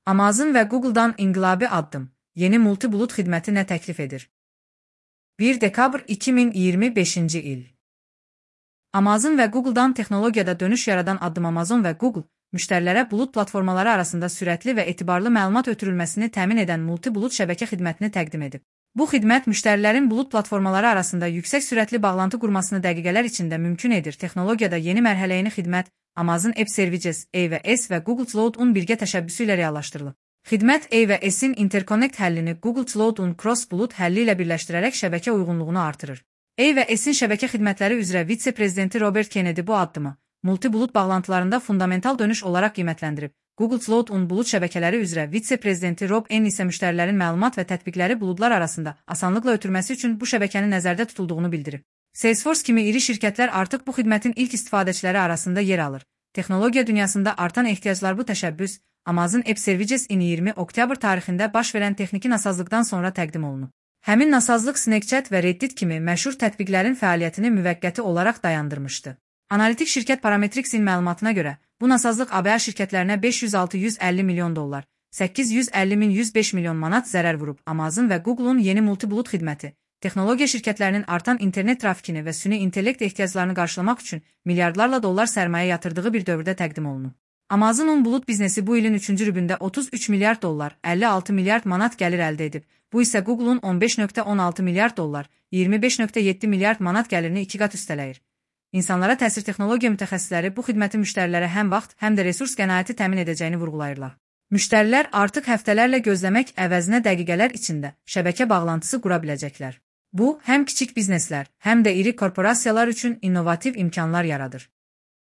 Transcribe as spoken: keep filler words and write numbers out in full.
Amazon və Google'dan inqilabi addım. Yeni multi-bulut xidməti nə təklif edir? bir dekabr iki min iyirmi beşinci il. Amazon və Google'dan texnologiyada dönüş yaradan addım Amazon və Google, müştərilərə bulut platformaları arasında sürətli və etibarlı məlumat ötürülməsini təmin edən multi-bulut şəbəkə xidmətini təqdim edib. Bu xidmət müştərilərin bulut platformaları arasında yüksək sürətli bağlantı qurmasını dəqiqələr içində mümkün edir. Texnologiyada yeni mərhələyini xidmət Amazon Web Services A və S və Google Cloud-un birgə təşəbbüsü ilə reallaşdırılıb. Xidmət A və S-in Interconnect həllini Google Cloud-un Cross-Bulut həlli ilə birləşdirərək şəbəkə uyğunluğunu artırır. A və S-in şəbəkə xidmətləri üzrə vitse-prezidenti Robert Kennedy bu addımı multi-bulut bağlantılarında fundamental dönüş olaraq qiymətləndirib. Google Cloud-un bulut şəbəkələri üzrə vitse-prezidenti Rob N isə müştərilərin məlumat və tətbiqləri buludlar arasında asanlıqla ötürməsi üçün bu şəbəkənin nəzərdə tutulduğunu bildirib. Salesforce kimi iri şirkətlər artıq bu xidmətin ilk istifadəçiləri arasında yer alır. Texnologiya dünyasında artan ehtiyaclar bu təşəbbüs Amazon Web Services iyirmi oktyabr tarixində baş verən texniki nasazlıqdan sonra təqdim olunub. Həmin nasazlıq Snapchat və Reddit kimi məşhur tətbiqlərin fəaliyyətini müvəqqəti olaraq dayandırmışdı. Analitik şirkət Parametrics'in məlumatına görə, bu nasazlıq A B A şirkətlərinə beş yüz altı yüz əlli milyon dollar, səkkiz yüz əlli min yüz beş milyon manat zərər vurub. Amazon və Google'un yeni multi-bulut xidməti, texnologiya şirkətlərinin artan internet trafikini və süni intellekt ehtiyaclarını qarşılamaq üçün milyardlarla dollar sərmayə yatırdığı bir dövrdə təqdim olunub. Amazon'un bulut biznesi bu ilin üçüncü rübündə otuz üç milyard dollar, əlli altı milyard manat gəlir əldə edib. Bu isə Google'un on beş nöqtə on altı milyard dollar, iyirmi beş nöqtə yeddi milyard manat gəlirini iki qat üstələyir. İnsanlara təsir texnologiya mütəxəssisləri bu xidmətin müştərilərə həm vaxt, həm də resurs qənaəti təmin edəcəyini vurğulayırlar. Müştərilər artıq həftələrlə gözləmək əvəzinə dəqiqələr içində şəbəkə bağlantısı qura biləcəklər. Bu, həm kiçik bizneslər, həm də iri korporasiyalar üçün innovativ imkanlar yaradır.